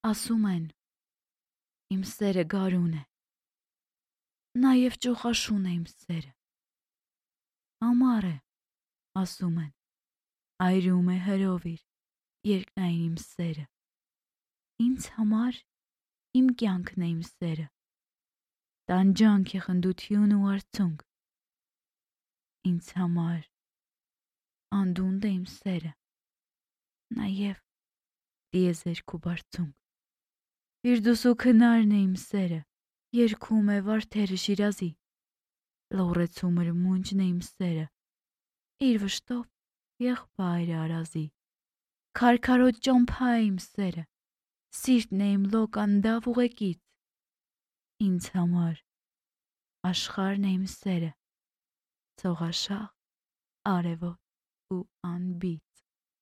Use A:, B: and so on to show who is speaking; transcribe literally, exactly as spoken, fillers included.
A: Ասում են, իմ սերը գարուն է, նաև ճոխաշուն է իմ սերը, ամառ է, ասում են, այրում է հրովիր, երկնային իմ սերը, ինձ համար իմ կյանքն է իմ սերը, տանջանք է խնդություն ու արցունք, ինձ համար անդունդ է իմ սերը, նաև տիեզերք ու բարձունք, Ֆիրդուսու քնարն է իմ սերը, երգում է վարդերը Շիրազի, լողրեցու մրմունջն է իմ սերը, իր վշտով եղբայրը Արազի, քարքարոտ ճամփա է իմ սերը, սիրտն է իմ լոկ անդավ ուղեկից, ինձ համար աշխարհն է իմ սերը, ցողաշաղ, արևոտ ու անբիծ։